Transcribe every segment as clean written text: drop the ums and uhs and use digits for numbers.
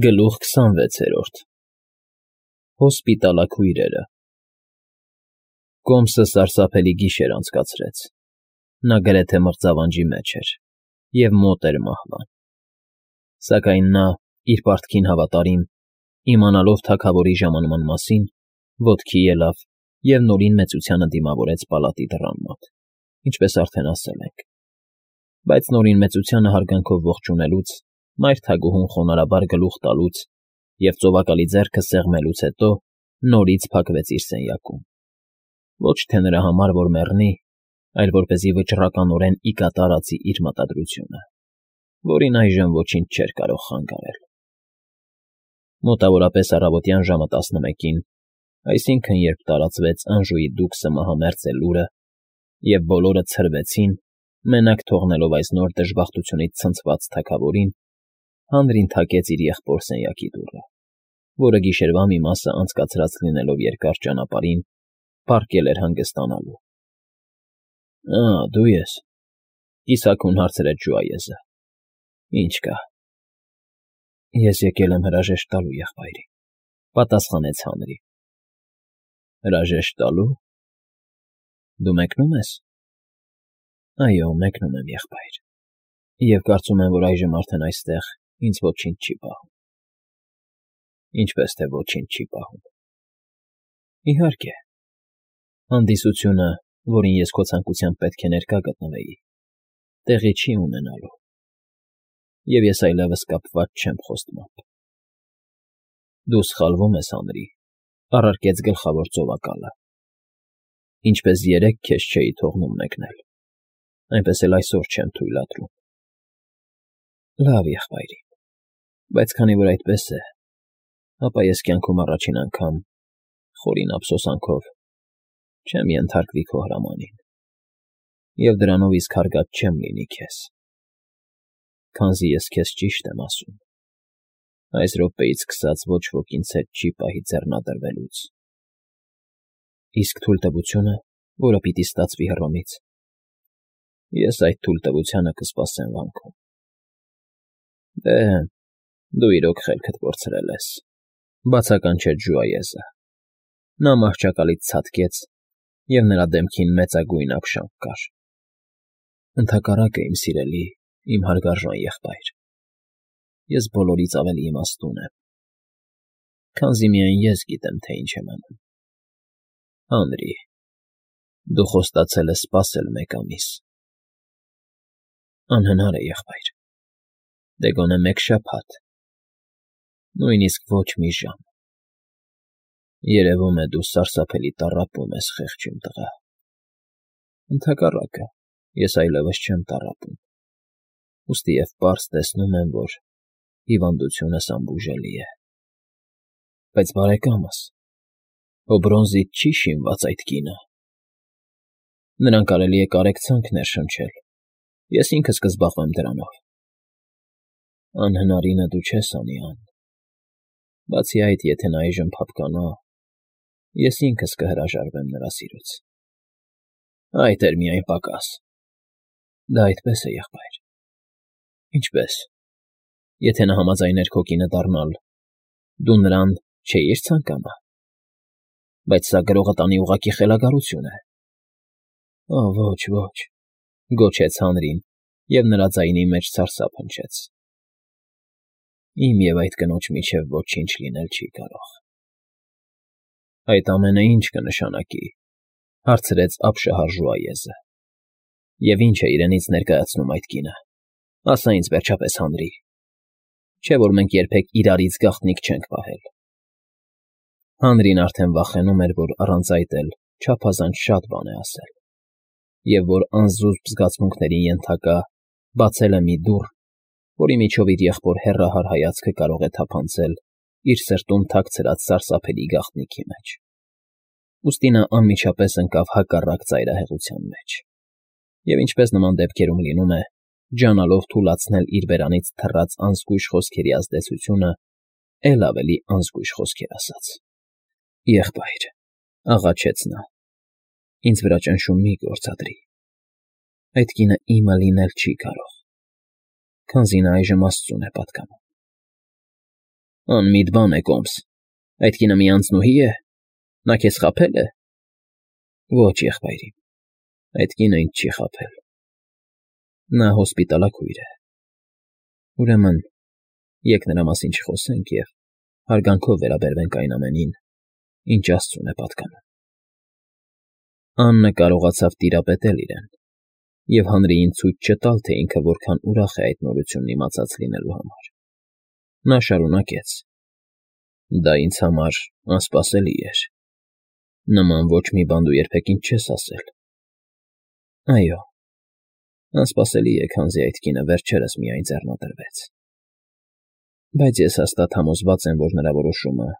Գլուխ 26 Հոսպիտալաքույրերը Կոմսը սարսափելի գիշեր անցկացրեց. նա գրեթե մրծավանջի մեջ էր և մոտ էր մահվան, սակայն նա, իր պարտքին հավատարիմ, իմանալով թագավորի ժամանման մասին, ոտքի ելավ և նորին մեծությանը դիմավորեց պալատի դռան մոտ, ինչպես արդեն ասել ենք, բայց նորին մեծությանը հարգանքով ողջունելուց, մայր թագուհուն խոնարհաբար գլուխ տալուց և ծովակալի ձեռքը սեղմելուց հետո նորից փակվեց իր սենյակում, ոչ թե նրա համար, որ մեռնի, այլ որպեսզի վճռականորեն ի կատար ածի իր մտադրությունը, որին այժմ ոչինչ չէր կարող խանգարել։ Մոտավորապես առավոտյան ժամը 11-ին, այսինքն՝ երբ տարածվեց Անժուի դուքսը մահամերձ է լուրը, և բոլորը ցրվեցին, մենակ թողնելով այս նոր դժբախտությունից ցնցված թագավորին, Հանրին թակեց իր եղբոր սենյակի դուռը, որը գիշերվա մի մասը անցկացրած լինելով երկար ճանապարհին, պառկել էր հանգստանալու։ ֊ Դու ես,֊ կիսաքուն հարցրեց ժուայեզը։ ֊ Ի՞նչ կա։ ֊ Ես եկել եմ հրաժեշտ տալու, եղբայրի,֊ պատասխանեց Հանրը։ ֊ Հրաժեշտ տալո՞ւ։ ֊ Դու մեկնո՞ւմ ես։ ֊ Այո, մեկնում եմ, եղբայր, և կարծում եմ, որ այժմ արդեն այստեղ ինձ ոչինչ չի պահում։ ֊ Ինչպես թե ոչինչ չի պահում։ ֊ Իհարկե, հանդիսությունը, որին ես քո ցանկությամբ պետք է ներկա գտնվեի, տեղի չի ունենալու, և ես այլևս կապված չեմ խոստմամբ։ ֊ Դու սխալվում ես, Հանրի,֊ առարկեց գլխավոր ծովակալը։ Ինչպես երեկ քեզ չէի թողնում մեկնել, այնպես էլ այսօր չեմ թույլատրում։ ֊ Լավ, եղբայրի, բայց քանի որ այդպես է, ապա ես կյանքում առաջին անգամ, խորին ափսոսանքով, չեմ ենթարկվի քո հրամանին, և դրանով իսկ հարգած չեմ լինի քեզ, քանզի ես քեզ ճիշտ եմ ասում, այս րոպեից սկսած ոչ ոք ինձ հետ չի պահի ձեռնադրվելուց։ ֊ Իսկ թույլտվությունը, որը պիտի ստացվի Հռոմից։ ֊ Ես այդ թույլտվությանը կսպասեմ վանքում։ ֊ Դե, դու իրոք խելքդ կորցրել ես,֊ բացականչեց ժուայեզը։ Նա մահճակալից ցատկեց, և նրա դեմքին մեծագույն ակշանք կար։ ֊ Ընդհակառակը, իմ սիրելի, իմ հարգարժան եղբայր, ես բոլորից ավելի իմաստուն եմ, քանզի միայն ես գիտեմ, թե ինչ եմ անում։ Հանրի, դու խոստացել ես սպասել 1 ամիս։ ֊ Անհնար է, եղբայր, դե գոնե 1 շաբաթ, նույնիսկ ոչ մի ժամ։ ֊ Երևում է, դու սարսափելի տառապում ես, խեղճ իմ տղա։ ֊ Ընդհակառակը, ես այլևս չեմ տառապում, ուստի և պարզ տեսնում եմ, որ հիվանդությունս անբուժելի է։ ֊ Բայց, բարեկամս, հո բրոնզից չի՞ շինված այդ կինը։ ֊ Նրան կարելի է կարեկցանք ներշնչել, ես ինքս կզբաղվեմ դրանով։ ֊ Անհնարինը դու չես անի, Ան… Բացի այդ, եթե նա այժմ փափկանա, ես ինքս կհրաժարվեմ նրա սիրուց։ ֊ Այդ էր միայն պակաս։ ֊ Դա այդպես է, եղբայր։ ֊ Ինչպես, եթե նա համաձայներ քո կինը դառնալ, դու նրան չէիր ցանկանա։ ֊ Բայց սա գրողը տանի ուղղակի խելագարություն է։ ֊ Ոչ, ոչ,֊ գոչեց Հանրին, և նրա ձայնի մեջ սարսափ հնչեց։ ֊ Իմ և այդ կնոջ միջև ոչինչ լինել չի կարող։ ֊ Այդ ամենը ի՞նչ կնշանակի,֊ հարցրեց ապշահար ժուայեզը,֊ և ի՞նչ է իրենից ներկայացնում այդ կինը, ասա ինձ, վերջապես, Հանրի, չէ՞ որ մենք երբեք իրարից գաղտնիք չենք պահել։ Հանրին արդեն վախենում էր, որ առանց այդ էլ չափազանց շատ բան է ասել, և որ անզուսպ զգացմունքների ենթակա բացել է մի դուռ, որի միջով իր եղբոր հեռահար հայացքը կարող է թափանցել իր սրտում թաքցրած սարսափելի գաղտնիքի մեջ։ Ուստի նա անմիջապես ընկավ հակառակ ծայրահեղության մեջ և, ինչպես նման դեպքերում լինում է, ջանալով թուլացնել իր բերանից թռած անզգույշ խոսքերի ազդեցությունը, էլ ավելի անզգույշ խոսքեր ասաց։ ֊ Եղբայր,֊ աղաչեց նա,֊ ինձ վրա ճնշում մի՛ գործադրի։ Այդ կինը իմը լինել չի կարող, քանզի նա այժմ Աստծուն է պատկանում։ Անմիտ բան է, Կոմս, այդ կինը մի անձնուհի է, նա քեզ խաբե՞լ է։ Ոչ, եղբայրիմ, այդ կինը ինձ չի խաբել, նա հոսպիտալաքույր է։ Ուրեմն, եկ նրա մասին չխոսենք և հարգանքով վերաբերվենք այն ամենին, ինչ Աստծուն է պատկանում։ Աննը կարողացավ տիրապետել իրեն և հանրիին ցույց չտալ, թե ինքը որքան ուրախ է այդ նորությունն իմացած լինելու համար։ Նա շարունակեց. Դա ինձ համար անսպասելի էր։ Նման ոչ մի բան դու երբեք ինձ չես ասել։ Այո, անսպասելի է, քանզի այդ կինը վերջերս միայն ձեռնադրվեց։ Բայց ես հաստատ համոզված եմ, որ նրա որոշումը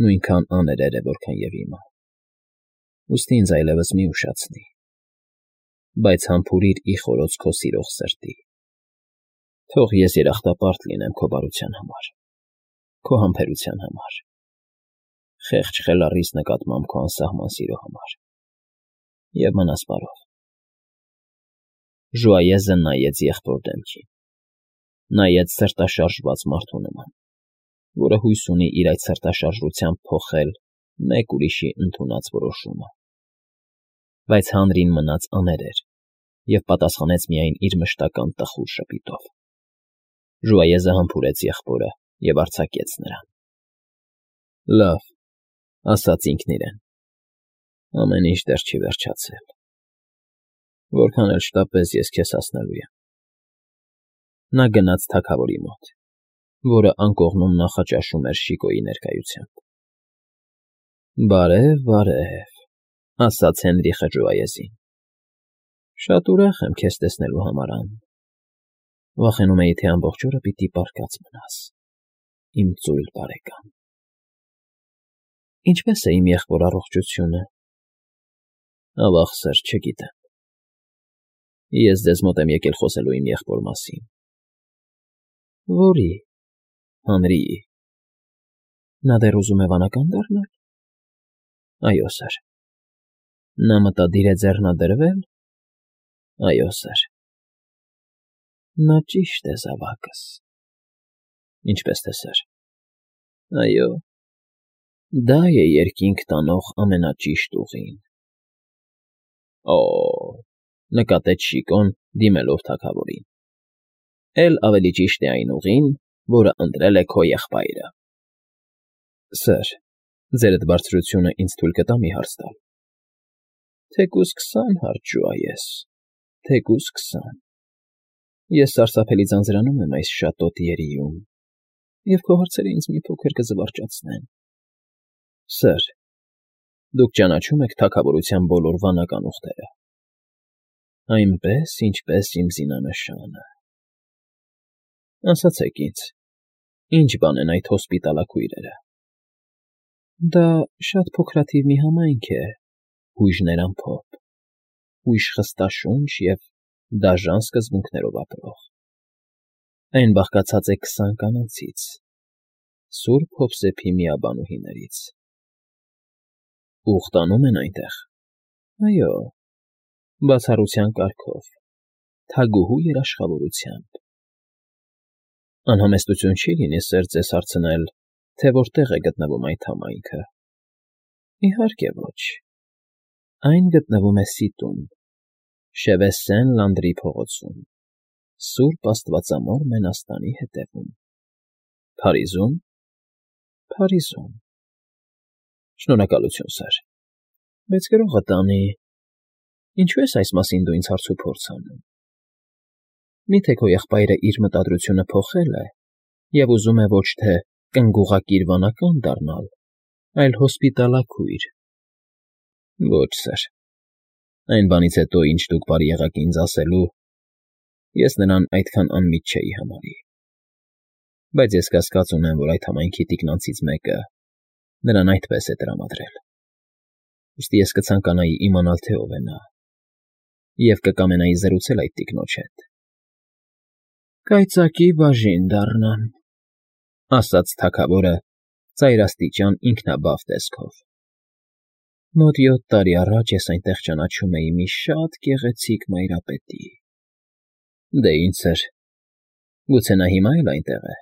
նույնքան աներեր է, որքան և իմը։ Ուստի ինձ այլևս մի ուշացնի, բայց համբուրիր ի խորոց քո սիրող սրտի։ Թող ես երախտապարտ լինեմ քո բարության համար, քո համբերության համար, խեղճ խելառիս նկատմամբ քո անսահման սիրո համար, և մնաս բարով։ Ժուայեզը նայեց եղբոր դեմքին, նայեց սրտաշարժված մարդու նման, որը հույս ունի իր այդ սրտաշարժությամբ փոխել մեկ ուրիշի ընդունած որոշումը։ Բայց հանրին մնաց աներեր և պատասխանեց միայն իր մշտական տխուր ժպիտով։ Ժուայեզը համբուրեց եղբորը և արձակեց նրան։ Լավ, ասաց ինքն իրեն, ամեն ինչ դեռ չի վերջացել։ Որքան էլ շտապես, ես քեզ հասնելու եմ։ Նա գնաց թագավորի մոտ, որը անկողնում նախաճաշում էր Շիկոյի ներկայությամբ։ Բարև, բարև, ասաց Հենրիխը Ժուայեզին։ Շատ ուրախ եմ քեզ տեսնելու համար, Ան։ Վախենում էի, թե ամբողջ օրը պիտի պառկած մնաս, իմ ծույլ բարեկամ։ Ինչպե՞ս է իմ եղբոր առողջությունը։ Ավաղ, սըր, չգիտեմ։ Ես ձեզ մոտ եմ եկել խոսելու իմ եղբոր մասին։ Որի՞։ Հանրիի։ Նա դեռ ուզում է վանական դառնալ։ Այո, սըր։ Նա մտադիր է ձեռնադրվե՞լ։ Այո, սըր։ Նա ճիշտ է, զավակս։ Ինչպես թե, սըր։ Այո, դա է երկինք տանող ամենաճիշտ ուղին։ Օ՜, նկատեց Շիկոն, դիմելով թագավորին։ Էլ ավելի ճիշտ է այն ուղին, որը ընտրել է քո եղբայրը։ Սըր, ձերդ բարձրությունը ինձ թույլ կտա մի հարց տալ։ Թեկուզ 20 հարց, Ժուայես, թեկուզ 20։ Ես սարսափելի ձանձրանում եմ այս շատոտ երիում, և քո հարցերը ինձ մի փոքր կզվարճացնեն։ Սըր, դուք ճանաչում եք թագավորության բոլոր վանական ուղտերը։ Այնպես, ինչպես իմ զինանշանը։ Ասացեք ինձ, ինչ բան են այդ հոսպիտալաքույրերը։ Դա շատ փոքրաթիվ մի համայնք է, հույժներ ամփոփ, հույժ խստաշունչ և դաժան սկզբունքներով ապրող։ Այն բաղկացած է 20 կանանցից, Սուրբ Հովսեփի միաբանուհիներից։ Ուխտանում են այնտեղ։ Այո, բացառության կարգով, թագուհու երաշխավորությամբ։ Անհամեստություն չի լինի, սըր, ձեզ հարցնել, թե որտեղ է գտնվում այդ համայնքը։ Իհարկե ոչ։ Այն գտնվում է Սիտում, Շևեսեն֊Լանդրի փողոցում, Սուրբ Աստվածամոր մենաստանի հետևում։ Փարիզո՞ւմ։ Փարիզում։ Շնորհակալություն, սըր, բայց գրողը տանի։ Ինչու ես այս մասին դու ինձ հարցուփորձ անում։ Միթե քո եղբայրը իր մտադրությունը փոխել է և ուզում է ոչ թե կնգուղակիր վանական դառնալ, այլ հոսպիտալաքույր։ Ոչ, սըր, այն բանից հետո, ինչ դուք բարի եղաք ինձ ասելու, ես նրան այդքան անմիտ չէի համարի։ Բայց ես կասկած ունեմ, որ այդ համայնքի տիկնանցից մեկը նրան այդպես է տրամադրել։ Ուստի ես կցանկանայի իմանալ, թե ով է նա, և կկամենայի զրուցել այդ տիկնոջ հետ։ Կայծակի բաժին դառնամ, ասաց թագավորը ծայրաստիճան ինքնաբավ տեսքով։ Մոտ 7 տարի առաջ ես այնտեղ ճանաչում էի մի շատ գեղեցիկ մայրապետի։ Դե ինչ, սըր, գուցե նա հիմա էլ այնտեղ է։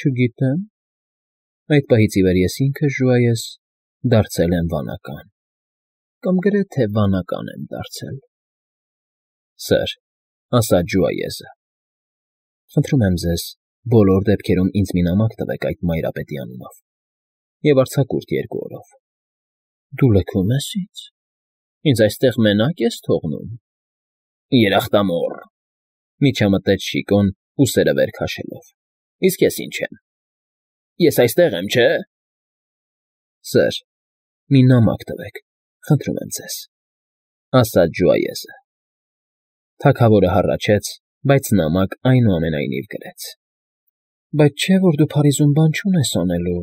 Չգիտեմ, Այդ պահից ի վեր ես ինքս, Ժուայես, դարձել եմ վանական, կամ գրեթե վանական եմ դարձել։ ֊ Սըր,֊ ասաց Ժուայեսը,֊ խնդրում եմ ձեզ, բոլոր դեպքերում ինձ մի նամակ տվեք այդ մայրապետի անունով և արձակուրդ 2 օրով։ ֊ Դու լքում ես ինձ։ Ինձ այստեղ մենակ ես թողնում։ ֊ Երախտամոռ,֊ միջամտեց Շիկոն, ուսերը վեր քաշելով,֊ իսկ ես ինչ եմ։ Ես այստեղ եմ, չէ՞։ ֊ Սըր, մի նամակ տվեք, խնդրում եմ ձեզ,֊ ասաց Ժուայեսը։ Թագավորը հառաչեց, բայց նամակ այնուամենայնիվ գրեց։ ֊ Բայց չէ՞ որ դու Փարիզում բան չունես անելու,֊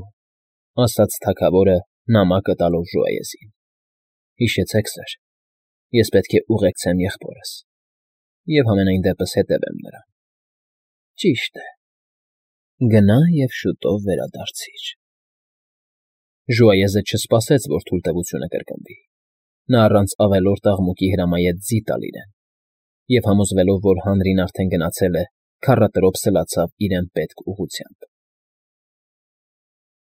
ասաց թագավորը նամակը տալով Ժուայեսին։ ֊ Հիշեցեք, սըր, ես պետք է ուղեկցեմ եղբորս և համենայն դեպս հետևեմ նրան։ ֊ Ճիշտ է, գնա և շուտով վերադարձիր։ Ժուայեսը չսպասեց, որ թույլտվությունը կրկնվի։ Նա առանց ավելորդ աղմուկի հրամայեց ձի տալ իրեն և, համոզվելով, որ հանրին արդեն գնացել է, քառատրոփ սլացավ իրեն պետք ուղղությամբ։